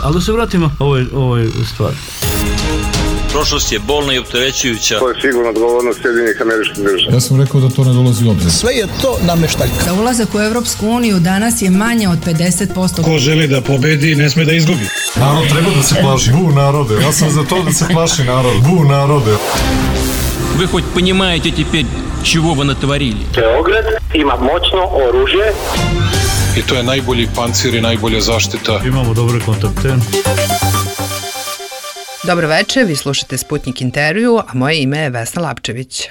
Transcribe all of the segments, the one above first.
Ali da se vratimo ovoj stvari. Prošlost je bolna i opterećujuća. To je sigurno odgovornost Sjedinjenih Američkih Država. Ja sam rekao da to ne dolazi u obzir. Sve je to nameštaljka. Za ulazak u Evropsku uniju danas je manje od 50%. Ko želi da pobedi, ne sme da izgubi. Narod treba da se plaši. Bu narode. Ja sam za to da se plaši narod. Bu narode. Вы хоть понимаете теперь, чего вы натворили? Beograd ima moćno oružje. I to je najbolji pancir i najbolja zaštita. Imamo dobre kontakte. Dobro večer, vi slušate Sputnik intervju, a moje ime je Vesna Lapčević.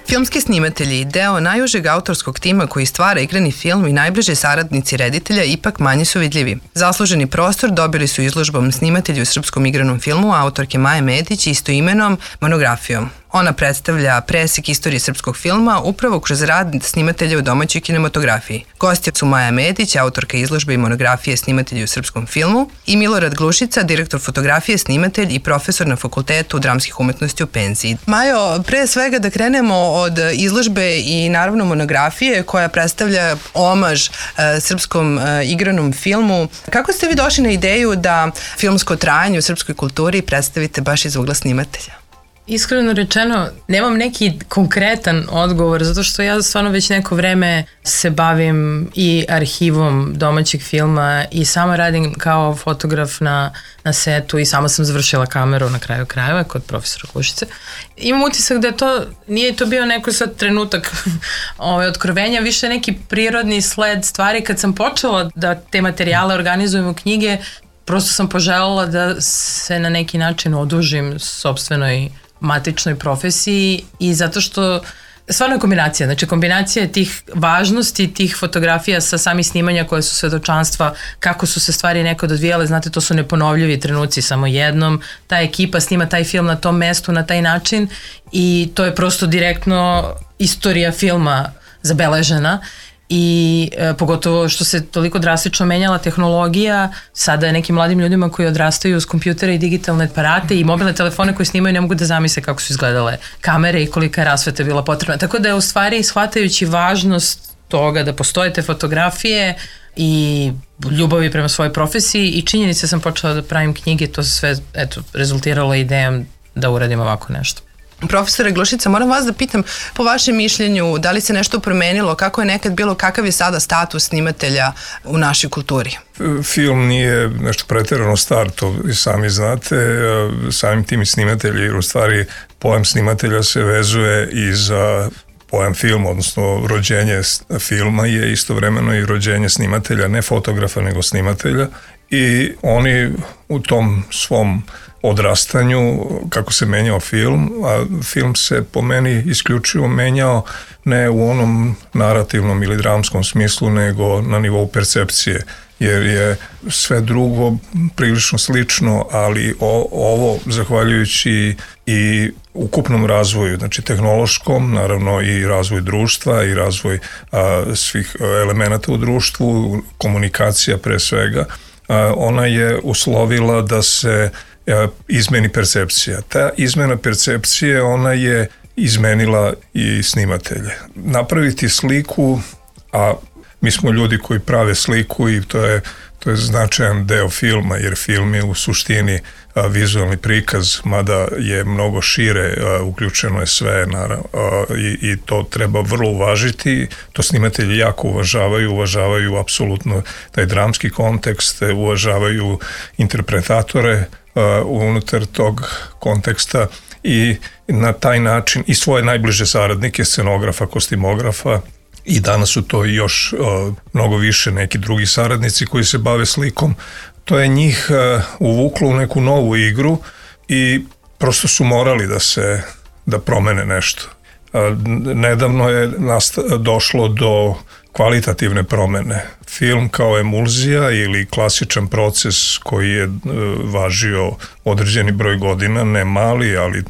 Filmski snimatelji, deo najužeg autorskog tima koji stvara igrani film i najbliže saradnici reditelja ipak manje su vidljivi. Zasluženi prostor dobili su izložbom snimatelji u srpskom igranom filmu autorke Maje Medić istoimenom monografijom. Ona predstavlja presek istorije srpskog filma upravo kroz rad snimatelja u domaćoj kinematografiji. Gosti su Maja Medić, autorka izložbe i monografije snimatelji u srpskom filmu, i Milorad Glušica, direktor fotografije, snimatelj i profesor na Fakultetu dramskih umetnosti u penziji. Majo, pre svega da krenemo od izložbe i naravno monografije koja predstavlja omaž srpskom igranom filmu. Kako ste vi došli na ideju da filmsko trajanje u srpskoj kulturi predstavite baš iz ugla snimatelja? Iskreno rečeno, nemam neki konkretan odgovor, zato što ja stvarno već neko vreme se bavim i arhivom domaćeg filma i sama radim kao fotograf na setu i sama sam završila kameru na kraju krajeva kod profesora Glušice. Imam utisak da nije to bio neko sad trenutak otkrovenja, više neki prirodni sled stvari. Kad sam počela da te materijale organizujem u knjige, prosto sam poželjela da se na neki način odužim sopstvenoj matičnoj profesiji i zato što stvarno je kombinacija, znači kombinacija tih važnosti, tih fotografija sa samih snimanja koje su svedočanstva, kako su se stvari nekad odvijale, znate, to su neponovljivi trenuci samo jednom, ta ekipa snima taj film na tom mestu na taj način i to je prosto direktno istorija filma zabeležena. I pogotovo što se toliko drastično menjala tehnologija, sada je nekim mladim ljudima koji odrastaju uz kompjutere i digitalne aparate i mobilne telefone koji snimaju ne mogu da zamisle kako su izgledale kamere i kolika je rasveta bila potrebna. Tako da je u stvari shvatajući važnost toga da postoje te fotografije i ljubavi prema svojoj profesiji i činjenice sam počela da pravim knjige, to se sve rezultiralo idejom da uradim ovako nešto. Profesore Glušica, moram vas da pitam po vašem mišljenju da li se nešto promenilo, kako je nekad bilo, kakav je sada status snimatelja u našoj kulturi? Film nije nešto pretjerano star, to i sami znate, samim tim i snimatelji, jer u stvari pojam snimatelja se vezuje i za pojam film, odnosno rođenje filma je istovremeno i rođenje snimatelja, ne fotografa nego snimatelja i oni u tom svom odrastanju, kako se menjao film, a film se po meni isključivo menjao ne u onom narativnom ili dramskom smislu, nego na nivou percepcije, jer je sve drugo prilično slično, ali ovo, zahvaljujući i ukupnom razvoju, znači tehnološkom, naravno i razvoj društva i razvoj svih elemenata u društvu, komunikacija pre svega, ona je uslovila da se izmeni percepcija. Ta izmena percepcije, ona je izmenila i snimatelje. Napraviti sliku, a mi smo ljudi koji prave sliku i to je značajan deo filma, jer film je u suštini vizualni prikaz, mada je mnogo šire, uključeno je sve, naravno, i to treba vrlo uvažiti. To snimatelji jako uvažavaju apsolutno taj dramski kontekst, uvažavaju interpretatore unutar tog konteksta i na taj način i svoje najbliže saradnike, scenografa, kostimografa, i danas su to i još mnogo više neki drugi saradnici koji se bave slikom. To je njih uvuklo u neku novu igru i prosto su morali da promene nešto. Nedavno je došlo do kvalitativne promene. Film kao emulzija ili klasičan proces koji je važio određeni broj godina, ne mali, ali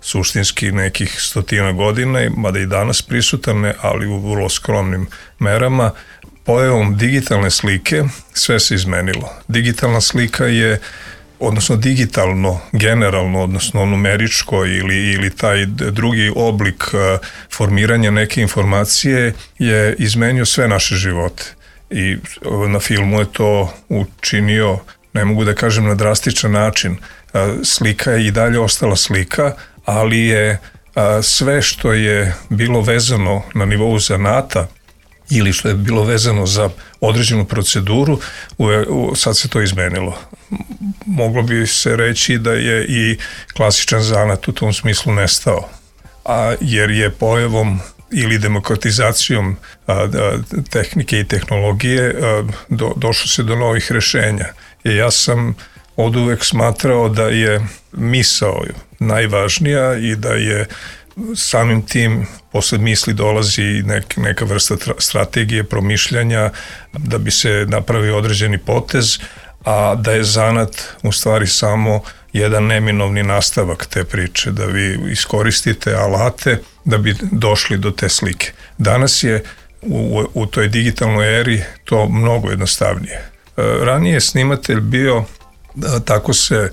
suštinski nekih 100 godina, mada i danas prisutan, ali u vrlo skromnim merama. Pojavom digitalne slike sve se izmenilo. Digitalna slika je, odnosno digitalno, generalno, odnosno numeričko ili taj drugi oblik formiranja neke informacije je izmenio sve naše živote. i na filmu je to učinio, ne mogu da kažem na drastičan način. Slika je i dalje ostala slika, ali je sve što je bilo vezano na nivou zanata ili što je bilo vezano za određenu proceduru, sad se to izmenilo. Moglo bi se reći da je i klasičan zanat u tom smislu nestao, jer je pojavom ili demokratizacijom tehnike i tehnologije došlo se do novih rešenja. Ja sam od uvek smatrao da je misao najvažnija i da je samim tim posle misli dolazi neka vrsta strategije, promišljanja da bi se napravio određeni potez, a da je zanat u stvari samo jedan neminovni nastavak te priče, da vi iskoristite alate da bi došli do te slike. Danas je u toj digitalnoj eri to mnogo jednostavnije. Ranije je snimatelj bio, tako se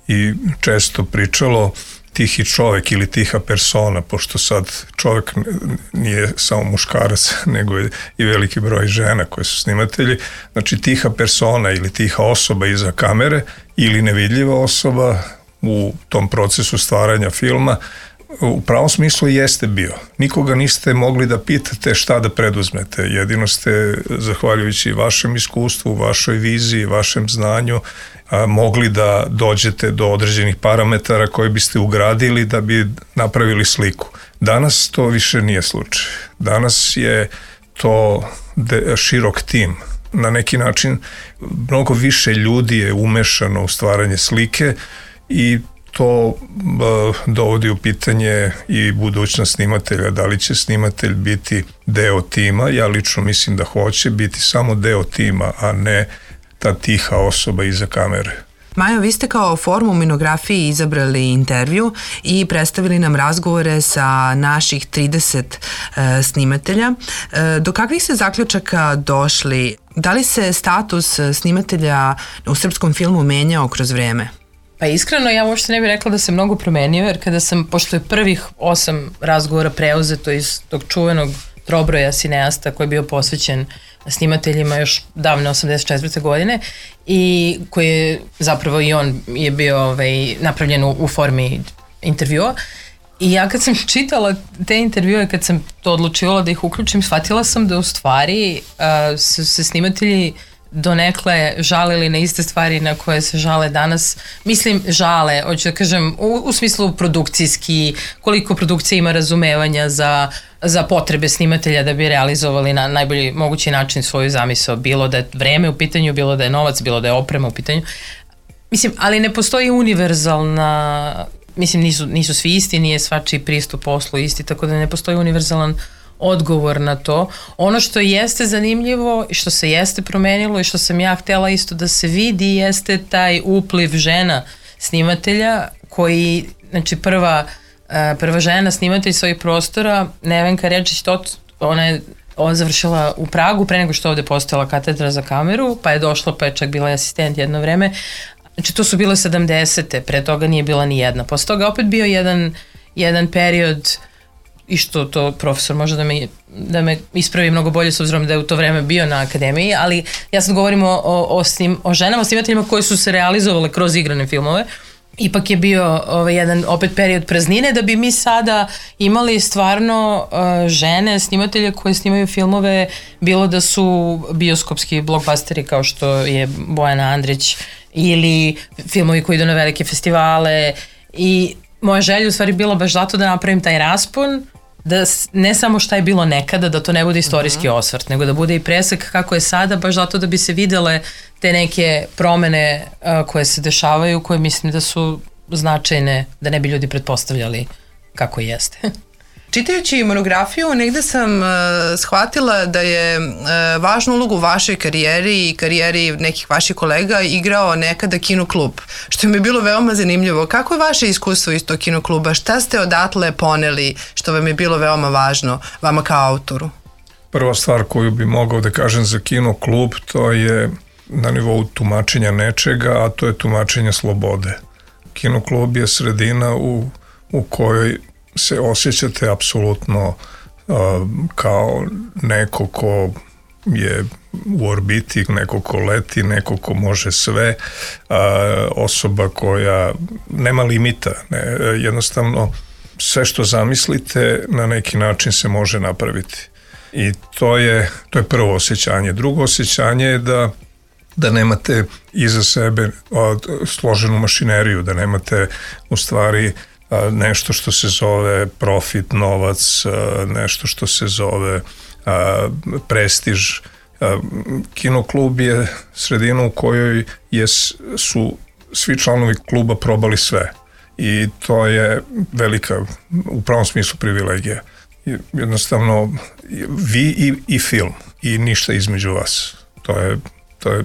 i često pričalo, tihi čovek ili tiha persona, pošto sad čovek nije samo muškarac, nego je i veliki broj žena koje su snimatelji. Znači tiha persona ili tiha osoba iza kamere ili nevidljiva osoba u tom procesu stvaranja filma u pravom smislu jeste bio. Nikoga niste mogli da pitate šta da preduzmete. Jedino ste, zahvaljujući vašem iskustvu, vašoj viziji, vašem znanju, mogli da dođete do određenih parametara koje biste ugradili da bi napravili sliku. Danas to više nije slučaj. Danas je to širok tim. Na neki način mnogo više ljudi je umešano u stvaranje slike i to dovodi u pitanje i budućnost snimatelja. Da li će snimatelj biti deo tima? Ja lično mislim da hoće biti samo deo tima, a ne ta tiha osoba iza kamere. Majo, vi ste kao formu u Minografiji izabrali intervju i predstavili nam razgovore sa naših 30 snimatelja. Do kakvih se zaključaka došli? Da li se status snimatelja u srpskom filmu menjao kroz vreme? Pa iskreno, ja uopšte ne bih rekla da se mnogo promenio, jer kada sam, pošto je prvih 8 razgovora preuzeto iz tog čuvenog trobroja cineasta koji je bio posvećen snimateljima još davne 84. godine i koji je zapravo i on je bio napravljen u formi intervjua. I ja kad sam čitala te intervjue, kad sam to odlučivala da ih uključim, shvatila sam da u stvari su se snimatelji donekle žalili na iste stvari na koje se žale danas. Mislim, žale, hoću da kažem, u smislu produkcijski, koliko produkcija ima razumevanja za potrebe snimatelja da bi realizovali na najbolji mogući način svoju zamisao, bilo da je vreme u pitanju, bilo da je novac, bilo da je oprema u pitanju. Mislim, ali ne postoji univerzalna, mislim, nisu svi isti, nije svačiji pristup poslu isti, tako da ne postoji univerzalan odgovor na to. Ono što jeste zanimljivo i što se jeste promenilo i što sam ja htela isto da se vidi jeste taj upliv žena snimatelja koji, znači prva žena snimatelj svojih prostora, Nevenka Rečić-Tot, ona je završila u Pragu pre nego što ovde postojala katedra za kameru, pa je došla, pa je čak bila asistent jedno vreme. Znači to su bile 70. Pre toga nije bila ni jedna. Posle toga opet bio jedan period i što to profesor može da me ispravi mnogo bolje s obzirom da je u to vreme bio na akademiji, ali ja sad govorim o ženama snimateljima koji su se realizovale kroz igrane filmove. Ipak je bio jedan opet period praznine da bi mi sada imali stvarno žene snimatelje koje snimaju filmove, bilo da su bioskopski blockbusteri kao što je Bojana Andrić ili filmovi koji idu na velike festivale, i moja želja u stvari bila baš zato da napravim taj raspon, da ne samo šta je bilo nekada, da to ne bude istorijski osvrt, nego da bude i presek kako je sada, baš zato da bi se videle te neke promene koje se dešavaju, koje mislim da su značajne, da ne bi ljudi pretpostavljali kako jeste. Čitajući monografiju, negde sam shvatila da je važnu ulogu u vašoj karijeri i karijeri nekih vaših kolega igrao nekada kinoklub, što mi je bilo veoma zanimljivo. Kako je vaše iskustvo iz tog kinokluba? Šta ste odatle poneli što vam je bilo veoma važno, vama kao autoru? Prva stvar koju bi mogao da kažem za kinoklub, to je na nivou tumačenja nečega, a to je tumačenje slobode. Kinoklub je sredina u kojoj se osjećate apsolutno kao neko ko je u orbiti, neko ko leti, neko ko može sve, osoba koja nema limita, jednostavno sve što zamislite na neki način se može napraviti. I to je prvo osjećanje. Drugo osjećanje je da nemate iza sebe složenu mašineriju, da nemate u stvari nešto što se zove profit, novac, nešto što se zove prestiž. Kinoklub je sredina u kojoj su svi članovi kluba probali sve i to je velika, u pravom smislu, privilegija. Jednostavno vi i film i ništa između vas. To je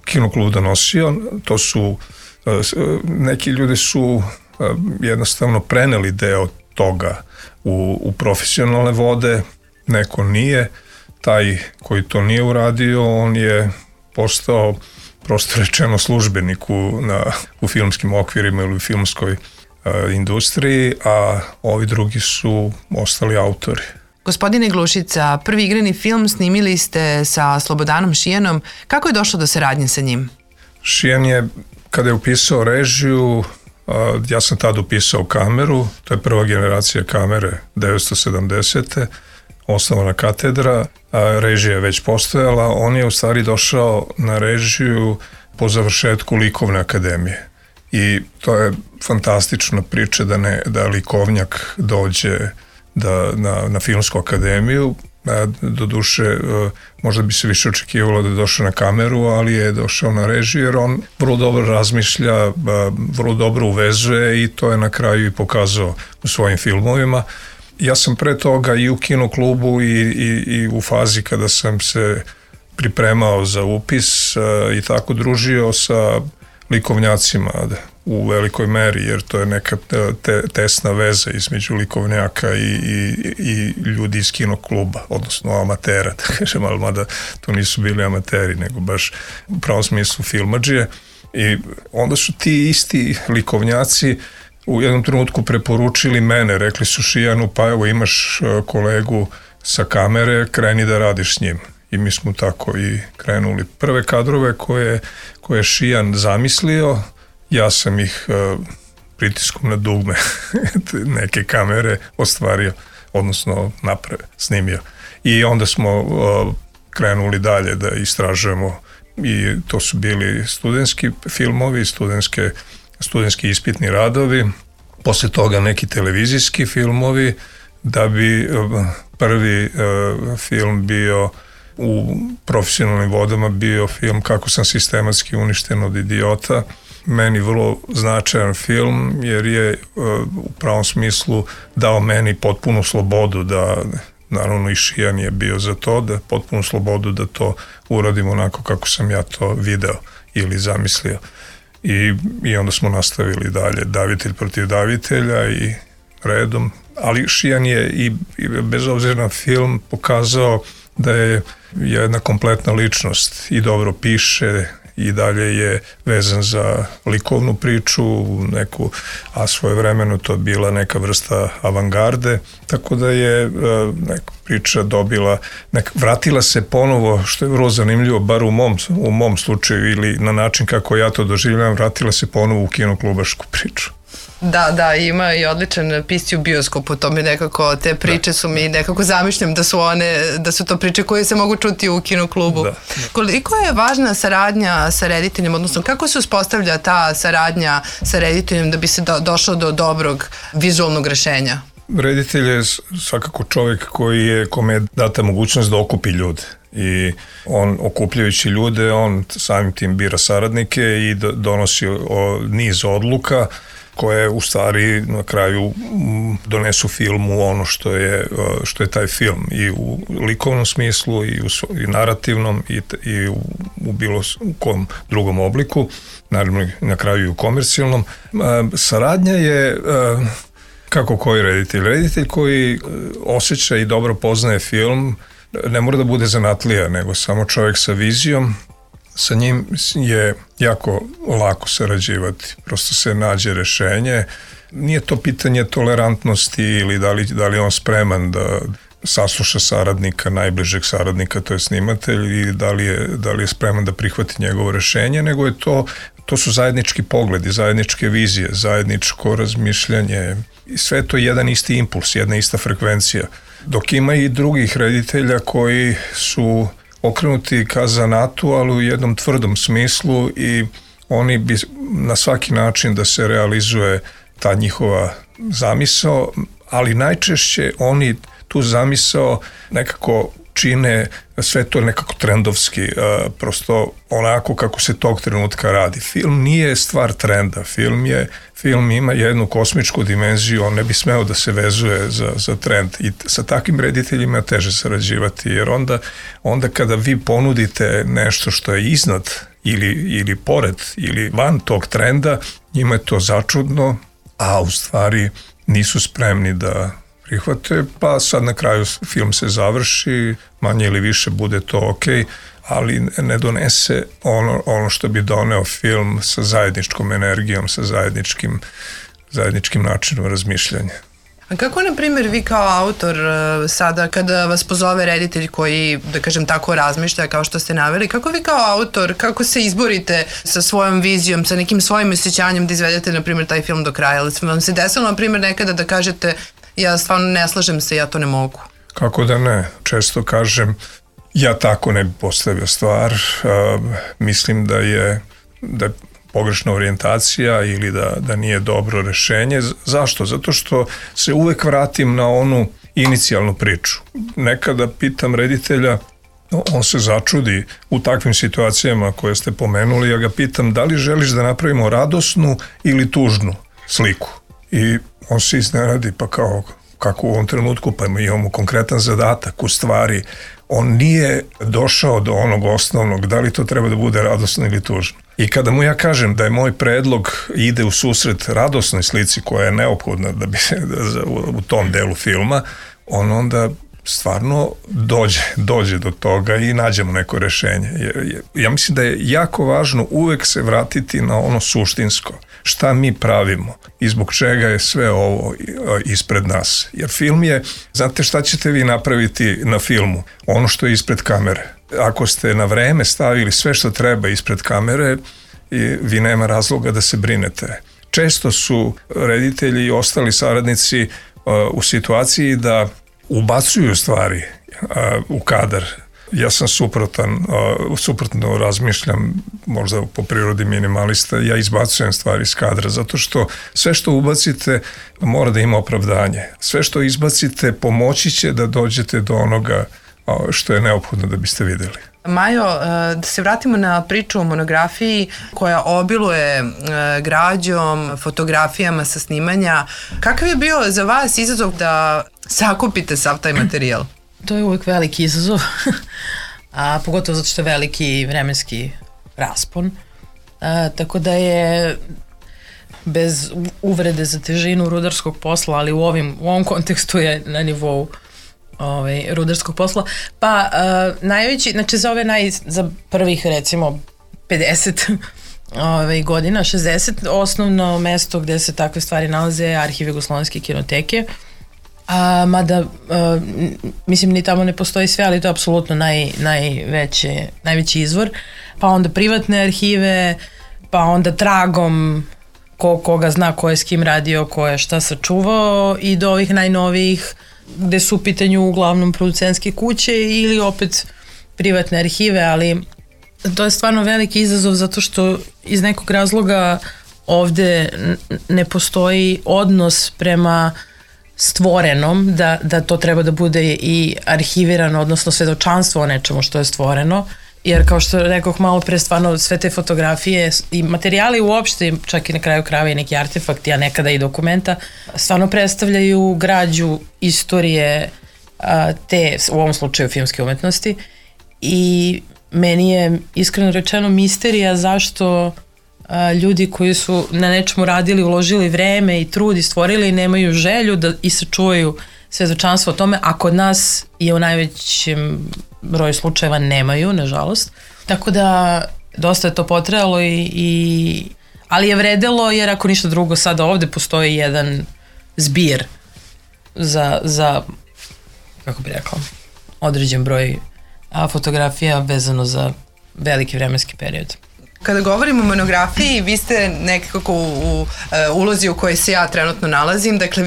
Kinoklub donosio, to su neki ljudi su jednostavno preneli deo toga u profesionalne vode, neko nije. Taj koji to nije uradio, on je postao prosto rečeno službenik u filmskim okvirima ili u filmskoj industriji, a ovi drugi su ostali autori. Gospodine Glušica, prvi igrani film snimili ste sa Slobodanom Šijanom. Kako je došlo do saradnje sa njim? Šijan je, kada je upisao režiju, ja sam tad upisao kameru, to je prva generacija kamere 1970. Osnovana katedra, režija je već postojala, on je u stvari došao na režiju po završetku likovne akademije. I to je fantastična priča da likovnjak dođe na filmsku akademiju. Doduše, možda bi se više očekivalo da je došao na kameru, ali je došao na režiju jer on vrlo dobro razmišlja, vrlo dobro uvezuje i to je na kraju i pokazao u svojim filmovima. Ja sam pre toga i u Kinoklubu i u fazi kada sam se pripremao za upis i tako družio sa likovnjacima u velikoj meri, jer to je neka tesna veza između likovnjaka i ljudi iz Kinokluba, odnosno amatera, da kažem, ali mada to nisu bili amateri, nego baš u pravom smislu filmadžije. I onda su ti isti likovnjaci u jednom trenutku preporučili mene, rekli su Šijanu, pa evo imaš kolegu sa kamere, kreni da radiš s njim. I mi smo tako i krenuli. Prve kadrove koje je Šijan zamislio, ja sam ih pritiskom na dugme neke kamere ostvario, odnosno snimio. I onda smo krenuli dalje da istražujemo i to su bili studentski filmovi, studentski ispitni radovi, posle toga neki televizijski filmovi, da bi prvi film bio u profesionalnim vodama bio film Kako sam sistematski uništen od idiota. Meni vrlo značajan film jer je u pravom smislu dao meni potpunu slobodu da, naravno i Šijan je bio za to, da potpunu slobodu da to uradim onako kako sam ja to video ili zamislio. I onda smo nastavili dalje, davitelj protiv davitelja i redom. Ali Šijan je i bez obzira na film pokazao da je jedna kompletna ličnost i dobro piše i dalje je vezan za likovnu priču, a svojevremeno to je bila neka vrsta avangarde, tako da je neka priča dobila, vratila se ponovo, što je vrlo zanimljivo, bar u mom slučaju ili na način kako ja to doživljam, vratila se ponovo u kinoklubašku priču. Da, ima i odličan pisci u bioskopu, to mi nekako, te priče su mi nekako zamišljam da su to priče koje se mogu čuti u Kinoklubu. Koliko je važna saradnja sa rediteljem, odnosno kako se uspostavlja ta saradnja sa rediteljem da bi se došlo do dobrog vizualnog rešenja? Reditelj je svakako čovjek kome je data mogućnost da okupi ljude i on, okupljajući ljude, on samim tim bira saradnike i donosi niz odluka koje u stvari na kraju donesu filmu ono što je taj film i u likovnom smislu i narativnom i u bilo kom drugom obliku, naravno na kraju i u komercijalnom. Saradnja je kako koji reditelj. Reditelj koji osjeća i dobro poznaje film ne mora da bude zanatlija, nego samo čovjek sa vizijom. Sa njim je jako lako sarađivati, prosto se nađe rešenje. Nije to pitanje tolerantnosti ili da li on spreman sasluša saradnika, najbližeg saradnika, to je snimatelj, i da li je spreman da prihvati njegovo rešenje, nego je to su zajednički pogledi, zajedničke vizije, zajedničko razmišljanje, i sve to je jedan isti impuls, jedna ista frekvencija. Dok ima i drugih reditelja koji su okrenuti ka zanatu, ali u jednom tvrdom smislu, i oni bi na svaki način da se realizuje ta njihova zamisao, ali najčešće oni tu zamisao nekako čine sve to nekako trendovski, prosto onako kako se tog trenutka radi. Film nije stvar trenda, film ima jednu kosmičku dimenziju, on ne bi smeo da se vezuje za trend, i sa takvim rediteljima teže sarađivati, jer onda kada vi ponudite nešto što je iznad ili pored ili van tog trenda, njima je to začudno, a u stvari nisu spremni da prihvate, pa sad na kraju film se završi, manje ili više bude to okej, ali ne donese ono što bi doneo film sa zajedničkom energijom, sa zajedničkim načinom razmišljanja. A kako, na primjer, vi kao autor sada kada vas pozove reditelj koji, da kažem tako, razmišlja kao što ste naveli, kako vi kao autor, kako se izborite sa svojom vizijom, sa nekim svojim osjećanjem da izvedete, na primjer, taj film do kraja? Ali vam se desilo, na primjer, nekada da kažete ja stvarno ne slažem se, ja to ne mogu? Kako da ne? Često kažem, ja tako ne bi postavio stvar, mislim da je pogrešna orijentacija ili da nije dobro rešenje. Zašto? Zato što se uvek vratim na onu inicijalnu priču. Nekada pitam reditelja, on se začudi u takvim situacijama koje ste pomenuli, ja ga pitam da li želiš da napravimo radosnu ili tužnu sliku. I on se iznenadi, pa kako u ovom trenutku, pa imamo konkretan zadatak. U stvari, on nije došao do onog osnovnog, da li to treba da bude radosno ili tužno. I kada mu ja kažem da je moj predlog ide u susret radosnoj slici koja je neophodna da bi u tom delu filma, on onda stvarno dođe do toga i nađemo neko rešenje. Ja mislim da je jako važno uvek se vratiti na ono suštinsko. Šta mi pravimo i zbog čega je sve ovo ispred nas. Jer film je, znate šta ćete vi napraviti na filmu? Ono što je ispred kamere. Ako ste na vreme stavili sve što treba ispred kamere, vi nema razloga da se brinete. Često su reditelji i ostali saradnici u situaciji da ubacuju stvari u kadar. Ja sam suprotno razmišljam, možda po prirodi minimalista, ja izbacujem stvari iz kadra, zato što sve što ubacite mora da ima opravdanje. Sve što izbacite pomoći će da dođete do onoga što je neophodno da biste videli. Majo, da se vratimo na priču o monografiji koja obiluje građom, fotografijama sa snimanja. Kakav je bio za vas izazov da sakupite sav taj materijal? To je uvijek veliki izazov, a pogotovo zato što je veliki vremenski raspon. Tako da je, bez uvrede za težinu rudarskog posla, ali u ovom kontekstu je na nivou rudarskog posla, pa najveći, znači za prvih recimo 50 godina, 60, osnovno mesto gde se takve stvari nalaze je Arhiv Jugoslovenske kinoteke, mada mislim ni tamo ne postoji sve, ali to je apsolutno najveći izvor, pa onda privatne arhive, pa onda tragom koga zna ko je s kim radio, ko je šta sačuvao, i do ovih najnovijih gde su u pitanju uglavnom producentske kuće ili opet privatne arhive, ali to je stvarno veliki izazov zato što iz nekog razloga ovde ne postoji odnos prema stvorenom, da to treba da bude i arhivirano, odnosno svedočanstvo o nečemu što je stvoreno, jer kao što rekoh malo pre, stvarno sve te fotografije i materijali uopšte, čak i na kraju krajeva i neki artefakti, a nekada i dokumenta, stvarno predstavljaju građu istorije te, u ovom slučaju, filmske umetnosti, i meni je iskreno rečeno misterija zašto ljudi koji su na nečemu radili, uložili vreme i trud i stvorili, nemaju želju da i sačuvaju svedočanstvo o tome, a kod nas je u najvećem broju slučajeva nemaju, nažalost. Tako da dosta je to potrajalo, ali je vredelo, jer ako ništa drugo, sada ovde postoji jedan zbir za kako bi rekla, određen broj fotografija vezano za veliki vremenski period. Kada govorimo o monografiji, vi ste nekako u ulozi u kojoj se ja trenutno nalazim, dakle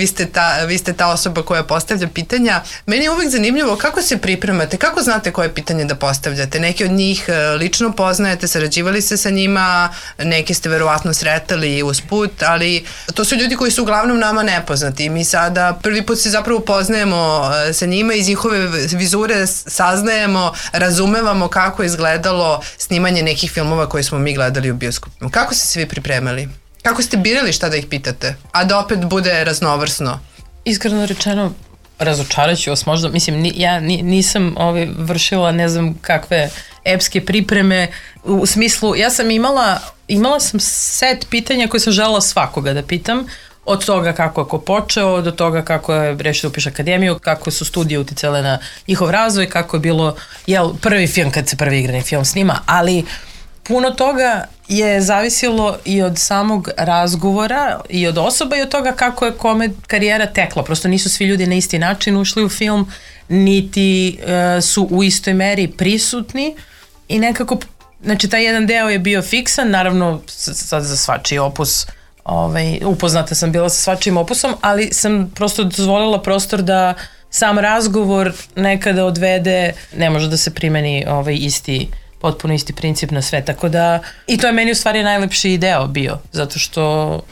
vi ste ta osoba koja postavlja pitanja. Meni je uvek zanimljivo kako se pripremate, kako znate koje pitanje da postavljate. Neki od njih lično poznajete, sarađivali ste sa njima, neki ste verovatno sretali usput, ali to su ljudi koji su uglavnom nama nepoznati. Mi sada prvi put se zapravo poznajemo sa njima, iz njihove vizure saznajemo, razumevamo kako je izgledalo snimanje nekih filmova koje smo mi gledali u bioskopima. Kako ste se vi pripremali? Kako ste birali šta da ih pitate? A da opet bude raznovrsno? Iskreno rečeno, razočaraću vas možda. Mislim, ja nisam vršila ne znam kakve epske pripreme u smislu, ja sam imala sam set pitanja koje sam želela svakoga da pitam. Od toga kako je ko počeo, do toga kako je rešio da upiše akademiju, kako su studije uticale na njihov razvoj, kako je bilo prvi film kad se prvi igrani film snima, ali puno toga je zavisilo i od samog razgovora i od osoba i od toga kako je kome karijera tekla. Prosto nisu svi ljudi na isti način ušli u film, niti su u istoj meri prisutni i nekako, znači taj jedan deo je bio fiksan, naravno sad za svačiji opus, upoznata sam bila sa svačijim opusom, ali sam prosto dozvolila prostor da sam razgovor nekada odvede, ne može da se primeni potpuno isti princip na sve, tako da i to je meni u stvari najlepši deo bio, zato što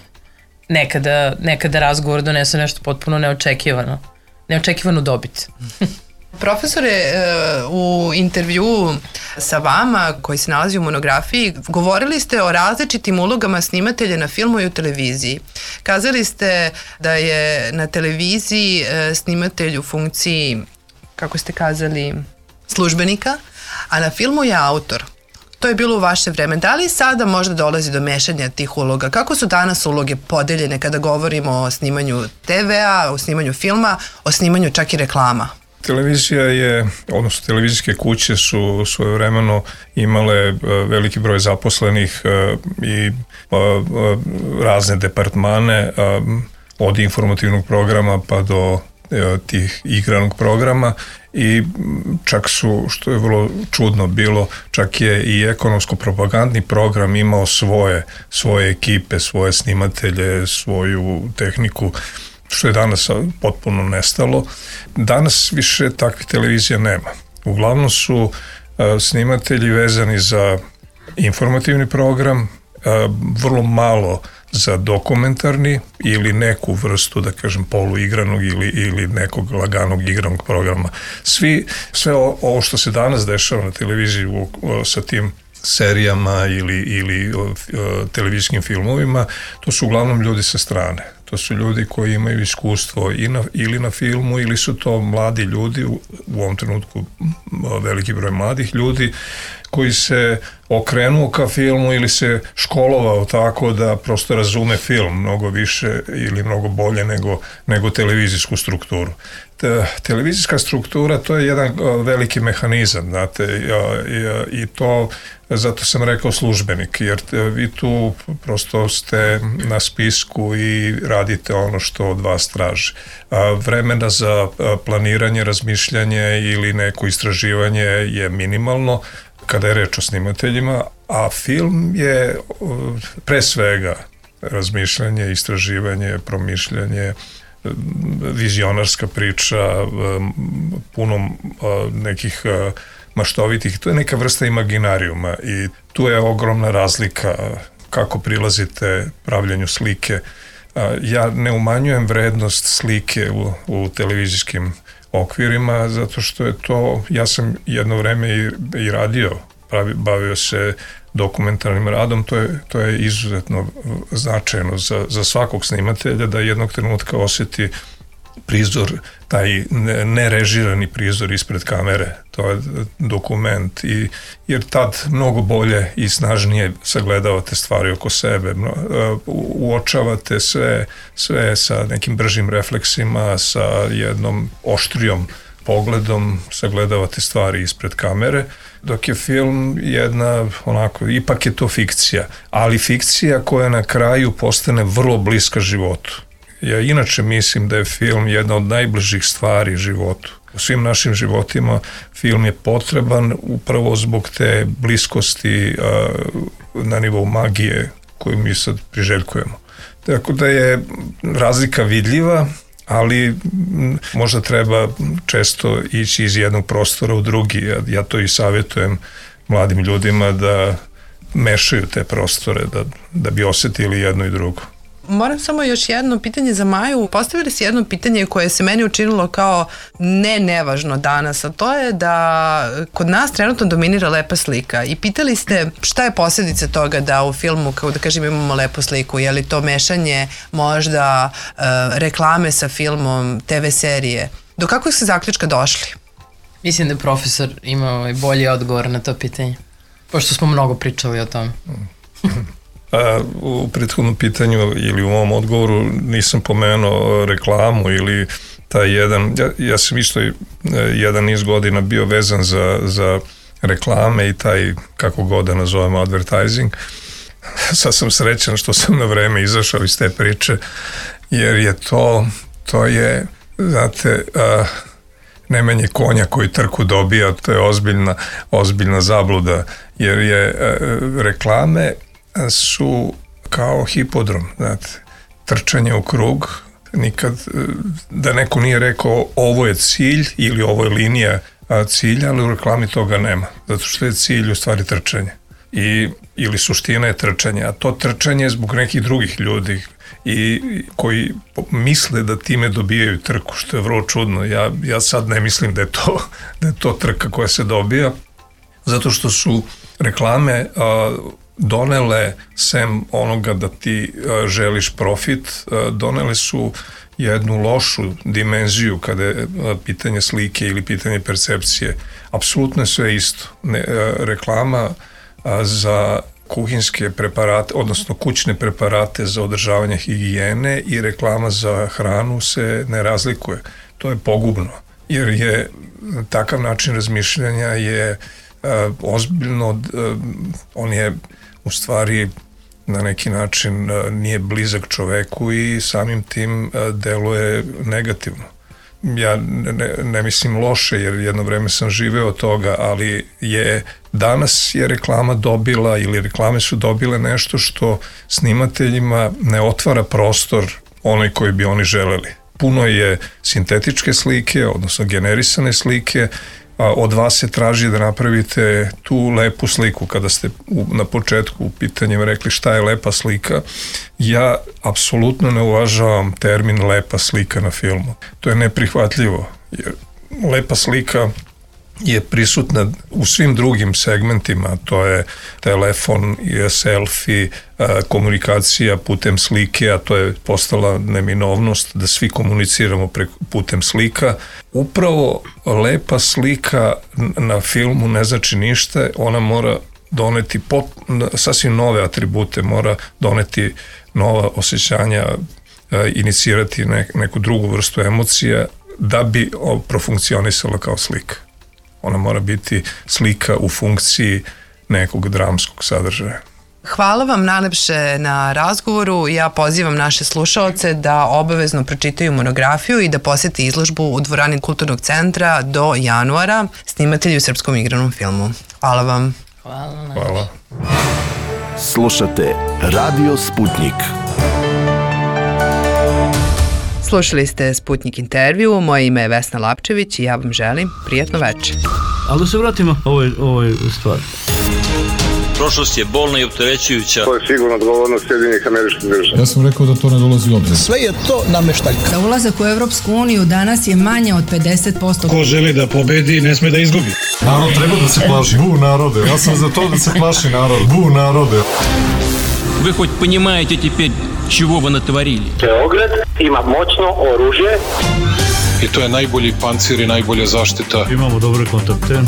nekada razgovor donese nešto potpuno neočekivanu dobit. Profesore, u intervjuu sa vama koji se nalazi u monografiji govorili ste o različitim ulogama snimatelja na filmu i u televiziji. Kazali ste da je na televiziji snimatelj u funkciji, kako ste kazali, službenika, a na filmu je autor. To je bilo u vaše vreme. Da li sada možda dolazi do mešanja tih uloga? Kako su danas uloge podeljene kada govorimo o snimanju TV-a, o snimanju filma, o snimanju čak i reklama? Televizija odnosno televizijske kuće su svojevremeno imale veliki broj zaposlenih i razne departmane, od informativnog programa pa do tih igranog programa, i čak su, što je vrlo čudno bilo, čak je i ekonomsko-propagandni program imao svoje ekipe, svoje snimatelje, svoju tehniku, što je danas potpuno nestalo. Danas više takvih televizija nema. Uglavnom su snimatelji vezani za informativni program, vrlo malo za dokumentarni ili neku vrstu, da kažem, poluigranog ili nekog laganog igranog programa. Sve ovo što se danas dešava na televiziji sa tim serijama ili televizijskim filmovima, to su uglavnom ljudi sa strane. To su ljudi koji imaju iskustvo ili na filmu, ili su to mladi ljudi, u ovom trenutku veliki broj mladih ljudi, koji se okrenuo ka filmu ili se školovao tako da prosto razume film mnogo više ili mnogo bolje nego televizijsku strukturu. Televizijska struktura, to je jedan veliki mehanizam, znate, i to, zato sam rekao službenik, jer vi tu prosto ste na spisku i radite ono što od vas traži. Vremena za planiranje, razmišljanje ili neko istraživanje je minimalno kada je reč o snimateljima, a film je pre svega razmišljanje, istraživanje, promišljanje, vizionarska priča, puno nekih maštovitih, to je neka vrsta imaginarijuma i tu je ogromna razlika kako prilazite pravljenju slike. Ja ne umanjujem vrednost slike u televizijskim okvirima, zato što je to, ja sam jedno vreme i radio, bavio se dokumentarnim radom, to je izuzetno značajno za svakog snimatelja da jednog trenutka osjeti prizor, taj nerežirani prizor ispred kamere, to je dokument, jer tad mnogo bolje i snažnije sagledavate stvari oko sebe, uočavate sve sa nekim bržim refleksima, sa jednom oštrijom pogledom, sagledavate stvari ispred kamere, dok je film ipak je to fikcija, ali fikcija koja na kraju postane vrlo bliska životu. Ja inače mislim da je film jedna od najbližih stvari životu. U svim našim životima film je potreban upravo zbog te bliskosti na nivou magije koju mi sad priželjkujemo. Tako da je razlika vidljiva, ali možda treba često ići iz jednog prostora u drugi. Ja to i savjetujem mladim ljudima da mešaju te prostore, da bi osetili jedno i drugo. Moram samo još jedno pitanje za Maju. Postavili si jedno pitanje koje se meni učinilo kao nevažno danas, a to je da kod nas trenutno dominira lepa slika i pitali ste šta je posljedica toga da u filmu, kao da kažem, imamo lepu sliku, je li to mešanje možda reklame sa filmom, TV serije. Do kakvog ste zaključka došli? Mislim da je profesor imao bolji odgovor na to pitanje, pošto smo mnogo pričali o tom. U prethodnom pitanju ili u ovom odgovoru nisam pomenuo reklamu ili taj jedan, ja sam isto jedan niz godina bio vezan za reklame i taj, kako god da nazovemo, advertising. Sad sam srećan što sam na vreme izašao iz te priče, jer je to je, znate, nemenje konja koji trku dobija, to je ozbiljna zabluda, jer je reklame su kao hipodrom, znate, trčanje u krug, nikad da neko nije rekao ovo je cilj ili ovo je linija cilja, ali u reklami toga nema, zato što je cilj u stvari trčanje ili suština je trčanje, a to trčanje je zbog nekih drugih ljudi i koji misle da time dobijaju trku, što je vrlo čudno. Ja sad ne mislim da je to trka koja se dobija, zato što su reklame donele, sem onoga da ti želiš profit, donele su jednu lošu dimenziju kada je pitanje slike ili pitanje percepcije. Apsolutno je sve isto. Reklama za kuhinske preparate, odnosno kućne preparate za održavanje higijene i reklama za hranu se ne razlikuje. To je pogubno, jer je takav način razmišljanja je ozbiljno, on je u stvari na neki način nije blizak čoveku i samim tim deluje negativno. Ja ne mislim loše, jer jedno vreme sam živeo od toga, ali danas je reklama dobila ili reklame su dobile nešto što snimateljima ne otvara prostor onaj koji bi oni želeli. Puno je sintetičke slike, odnosno generisane slike, od vas se traži da napravite tu lepu sliku. Kada ste na početku u pitanjima rekli šta je lepa slika, ja apsolutno ne uvažavam termin lepa slika na filmu. To je neprihvatljivo, jer lepa slika je prisutna u svim drugim segmentima, to je telefon, selfie, komunikacija putem slike, a to je postala neminovnost da svi komuniciramo putem slika. Upravo lepa slika na filmu ne znači ništa, ona mora doneti sasvim nove atribute, mora doneti nova osjećanja, inicirati neku drugu vrstu emocija da bi profunkcionisala kao slika. Ona mora biti slika u funkciji nekog dramskog sadržaja. Hvala vam najlepše na razgovoru. Ja pozivam naše slušaoce da obavezno pročitaju monografiju i da posete izložbu u dvorani Kulturnog centra do januara, snimatelji u srpskom igranom filmu. Hvala vam. Hvala. Slušate Radio Sputnik. Slušali ste Sputnik intervju, moje ime je Vesna Lapčević i ja vam želim prijatno večer. Ali da se vratimo ovoj stvari. Prošlost je bolna i opterećujuća. To je sigurno odgovornost Sjedinjenih Američkih Država. Ja sam rekao da to ne dolazi u obzir. Sve je to nameštaljka. Da ulazak u Evropsku uniju danas je manje od 50%. Ko želi da pobedi, ne sme da izgubi. Narod treba da se plaši. Bu narode. Ja sam za to da se plaši narod. Bu narode. Вы хоть понимаете теперь, чего вы натворили? Beograd ima moćno oružje. I to je najbolji pancir i najbolja zaštita. Imamo dobre kontakte.